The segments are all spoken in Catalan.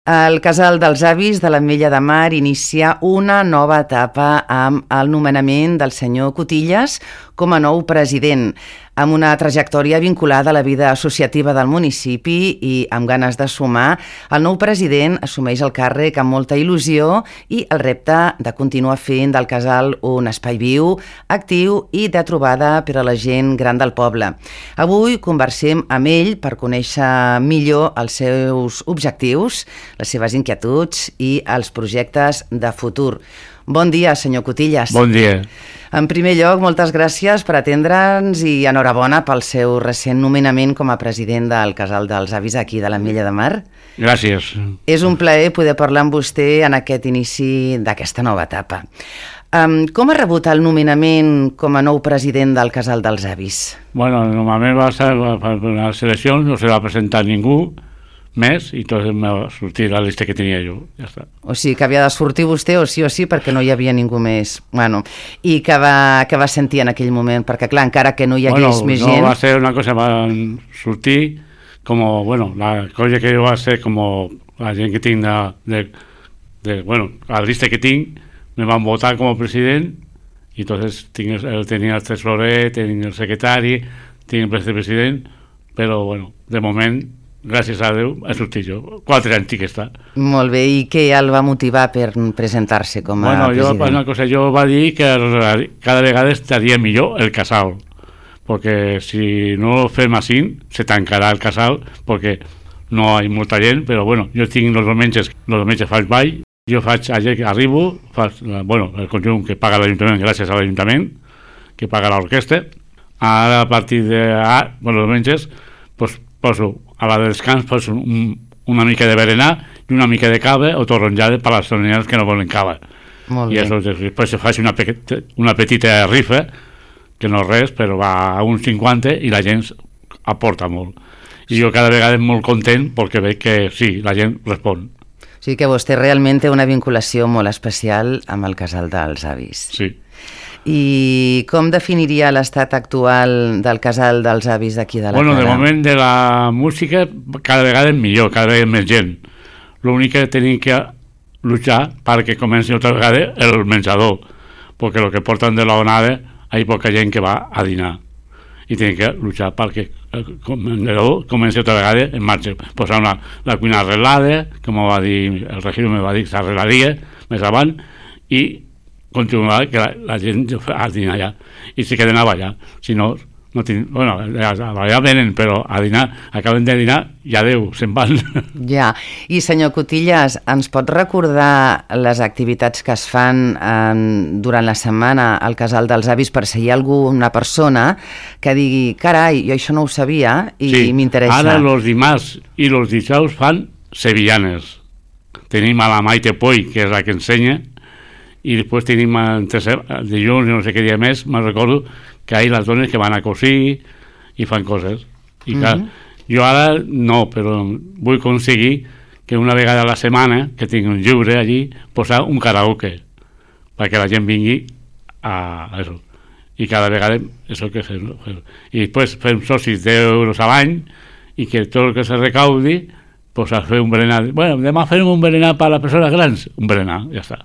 El Casal dels Avis de l'Ametlla de Mar inicia una nova etapa amb el nomenament del senyor Cotillas com a nou president, amb una trajectòria vinculada a la vida associativa del municipi i amb ganes de sumar. El nou president assumeix el càrrec amb molta il·lusió i el repte de continuar fent del casal un espai viu, actiu i de trobada per a la gent gran del poble. Avui conversem amb ell per conèixer millor els seus objectius, les seves inquietuds i els projectes de futur. Bon dia, senyor Cotillas. Bon dia. En primer lloc, moltes gràcies per atendre'ns i enhorabona pel seu recent nomenament com a president del Casal dels Avis aquí de l'Ametlla de Mar. Gràcies. És un plaer poder parlar amb vostè en aquest inici d'aquesta nova etapa. Com ha rebut el nomenament com a nou president del Casal dels Avis? Bueno, normalment va ser una selecció, no se va presentar ningú més i tot em va sortir la llista que tenia jo, ja està. O sigui que havia de sortir vostè o sí perquè no hi havia ningú més. Bueno, i què va sentir en aquell moment? Perquè clar, encara que no hi hagués més gent... No, va ser una cosa, va sortir com, la cosa que jo va ser com la gent que tinc la llista que tinc, me van votar com a president i entonces tenia el tesorer, tenia el secretari, tenia el vicepresident, però de moment gràcies a Déu, ha sortit jo. 4 anys que està. Molt bé, i què el va motivar per presentar-se com a president? Jo va dir que cada vegada estaria millor el casal, perquè si no ho fem així, se tancarà el casal, perquè no hi ha molta gent, però jo tinc els diumenges faig ball, jo arribo, el conjunt que paga l'Ajuntament gràcies a l'Ajuntament, que paga l'orquestra, ara a partir de els diumenges, poso a la de descans una mica de berenar i una mica de cava o torronjada per a les torronjades que no volen cava. Molt bé. I després se fa una petita rifa, que no és res, però va a uns 50 i la gent aporta molt. I jo cada vegada molt content perquè veig que sí, la gent respon. O sigui que vostè realment té una vinculació molt especial amb el Casal dels Avis. Sí. I com definiria l'estat actual del Casal dels Avis d'aquí de la Cala? De moment de la música cada vegada és millor, cada vegada més gent. L'únic que tenim que luchar perquè comenci altra vegada el menjador, perquè el que porten de la onada hi ha poca gent que va a dinar i tenim que luchar perquè el menjador comenci altra vegada en marxa. Posar la cuina arreglada, com va dir el regidor, me va dir que s'arreglaria més avant, i continuar que la gent a dinar allà i se queden allà, si no allà venen, però a dinar acaben de dinar i adeu, se'n van. Ja, i senyor Cotillas, ens pot recordar les activitats que es fan durant la setmana al Casal dels Avis per si hi ha alguna persona que digui, carai, jo això no ho sabia i m'interessa? Ara els dimarts i els dijous fan sevillanes. Tenim a la Maite Poi, que és la que ensenya, i després tenim el dilluns i no sé què dia més, me'n recordo que hi ha les dones que van a cosir i fan coses. I clar, jo ara no, però vull aconseguir que una vegada a la setmana, que tinc un llibre allí, posar un karaoke perquè la gent vingui a això. I cada vegada això que fem. I després fem socis d'€10 a l'any i que tot el que se recaudi a fer un berenar. Demà farem un berenar per a les persones grans, un berenar, ja està.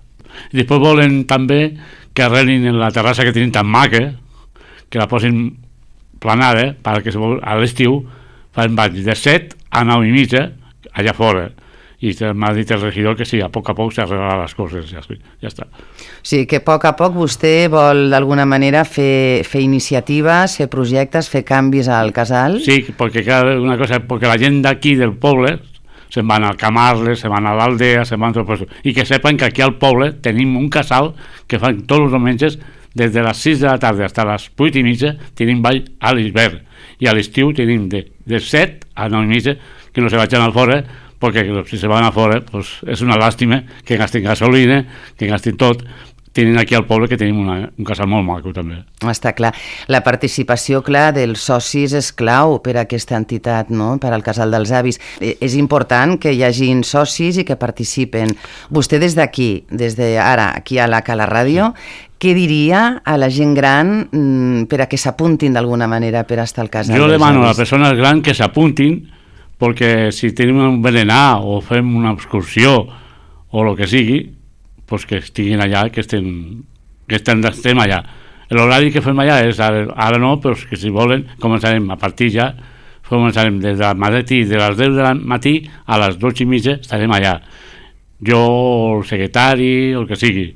I després volen també que arreglin en la terrassa que tenim tan maca, que la posin planada perquè a l'estiu fan balls de 7 a 9 i mitja allà fora, i m'ha dit el regidor que sí, a poc s'arreglaran les coses, ja està. O sigui que a poc vostè vol d'alguna manera fer iniciatives, fer projectes, fer canvis al casal? Sí, perquè la gent d'aquí del poble se'n van al Camarles, se'n van a l'Aldea, se'n van a tot això. I que sepan que aquí al poble tenim un casal que fan tots els diumenges des de les 6 de la tarda fins a les 8 i mitja tenim ball a l'hivern. I a l'estiu tenim de 7 a 9 i mitja que no se vagin al fora, perquè si se van a fora és una làstima que gastin gasolina, que gastin tot. Tenim aquí al poble que tenim un casal molt maco també. Està clar. La participació, clar, dels socis és clau per a aquesta entitat, no?, per al Casal dels Avis. És important que hi hagin socis i que participen. Vostè des d'aquí, des d'ara, aquí a la Cala Ràdio, què diria a la gent gran per a que s'apuntin d'alguna manera per estar al Casal dels Avis? Jo demano a les persones grans que s'apuntin perquè si tenim un berenar o fem una excursió o el que sigui, pues que estiguin allà, que estem allà. L'horari que fem allà és, ara no, però que si volen començarem a partir ja, començarem des del matí, de les 10 del matí a les 12:30 estarem allà. Jo, el secretari, el que sigui.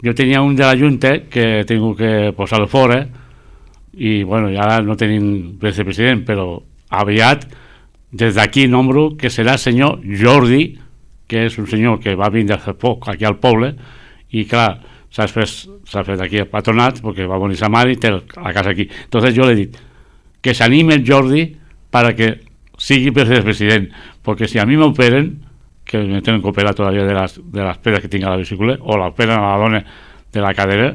Jo tenia un de la Junta que he tingut que posar-lo fora i bueno, ja no tenim vicepresident, però aviat des d'aquí nombro que serà el senyor Jordi, que és un senyor que va vindre fa poc aquí al poble i clar, s'ha fet aquí al patronat perquè va venir sa mare i té la casa aquí. Entonces jo le he dit que s'anime el Jordi para que sigui vicepresident, perquè si a mi m'operen, que me tenen que operar todavía de las pedres que tinc a la vesícula o la operen a la dona de la cadera,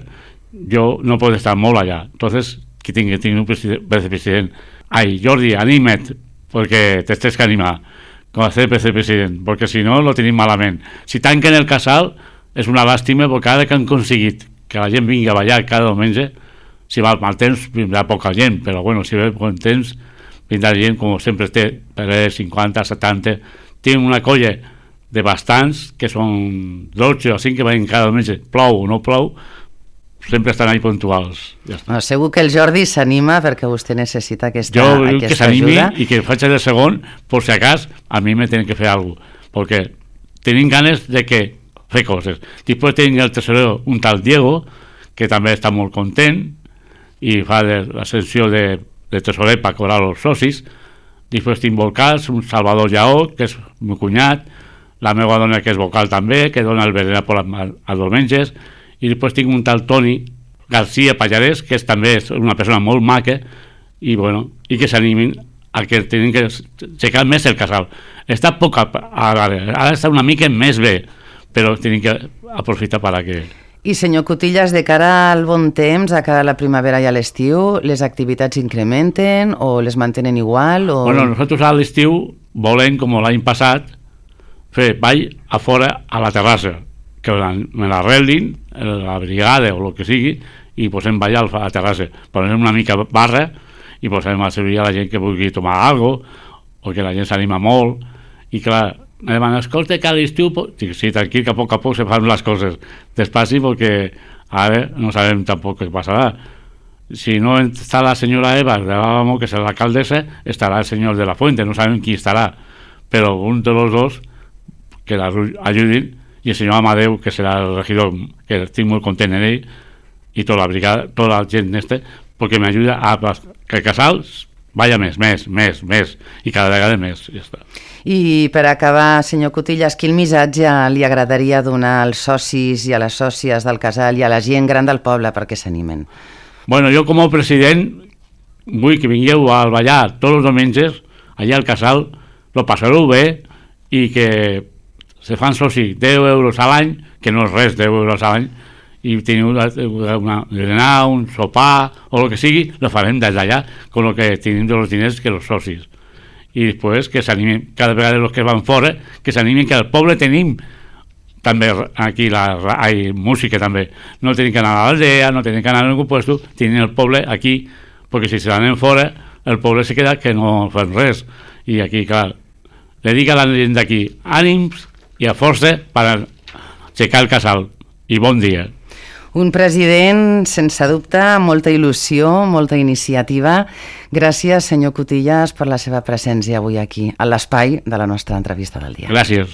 jo no puedo estar molt allà. Entonces que tingui un vicepresident. Ai, Jordi, anima't, perquè t'estés que animar com a ser vicepresident, perquè si no lo tenim malament. Si tanquen el casal és una làstima, perquè ara que han aconseguit que la gent vingui a ballar cada diumenge, si va mal temps vindrà poca gent, però bueno, si ve bon temps vindrà gent com sempre té, per 50, 70, tinc una colla de bastants que són 12 o 5 que veien cada diumenge, plou o no plou, sempre estan ahí puntuals. Ja està. Segur que el Jordi s'anima perquè vostè necessita aquesta ajuda. Jo que s'animi i que faig el segon, per si acas, a mi me tenen que fer alguna cosa, perquè tenim ganes de que fer coses. Després tenim el tesorero, un tal Diego, que també està molt content i fa la sessió de tesorer per cobrar els socis. Després tinc vocals, un Salvador Lleó, que és el meu cunyat, la meva dona que és vocal també, que dona el berenar als diumenges, i després tinc un tal Toni García Pallarès, que també és una persona molt maca, i bueno, i que s'animin a que tenen que aixecar més el casal. Està poc ara està una mica més bé, però tenen que aprofitar per a que... I senyor Cutillas, de cara al bon temps, a cara a la primavera i a l'estiu, les activitats incrementen o les mantenen igual? O... Bueno, nosaltres a l'estiu volem, com l'any passat, fer ball a fora a la terrassa, que me l'arreglin, la brigada o el que sigui, i posem ballar a la terrassa. Posem una mica barra i posem a servir a la gent que vulgui tomar alguna cosa, o que la gent s'anima molt, i clar, me demanen, escolta, que a l'estiu... Dic, sí, tranquil, que a poc se fan les coses despaci, perquè ara no sabem tampoc què passarà. Si no està la senyora Eva de l'Àlamo, que serà l'alcaldessa, estarà el senyor de la Fuente, no sabem qui estarà, però un de los dos que l'ajudin, i el senyor Amadeu, que serà el regidor, que estic molt content en ell, i tota la brigada, tota la gent n'este, perquè m'ajuda a que el casal vaya més, i cada vegada més, ja està. I per acabar, senyor Cutillas, quin missatge li agradaria donar als socis i a les sòcies del casal i a la gent gran del poble perquè s'animen? Bueno, jo com a president vull que vingueu a ballar tots els diumenges allà al casal, lo passareu bé i que se fan soci 10 euros a l'any, que no és res, 10 euros a l'any, i teniu berenar, un sopar o el que sigui, lo farem des d'allà con lo que tenim dels diners que els socis. I després que s'animen, cada vegada els que van fora, que s'animen, que al poble tenim també aquí música també. No tenim que anar a l'aldea, no tenim que anar a ningú puesto, tenim el poble aquí, perquè si se l'anem fora, el poble se queda que no fan res. I aquí, clar, le dic a la gent d'aquí, ànims i a força per aixecar el casal. I bon dia. Un president, sense dubte, molta il·lusió, molta iniciativa. Gràcies, senyor Cutillas, per la seva presència avui aquí, a l'espai de la nostra entrevista del dia. Gràcies.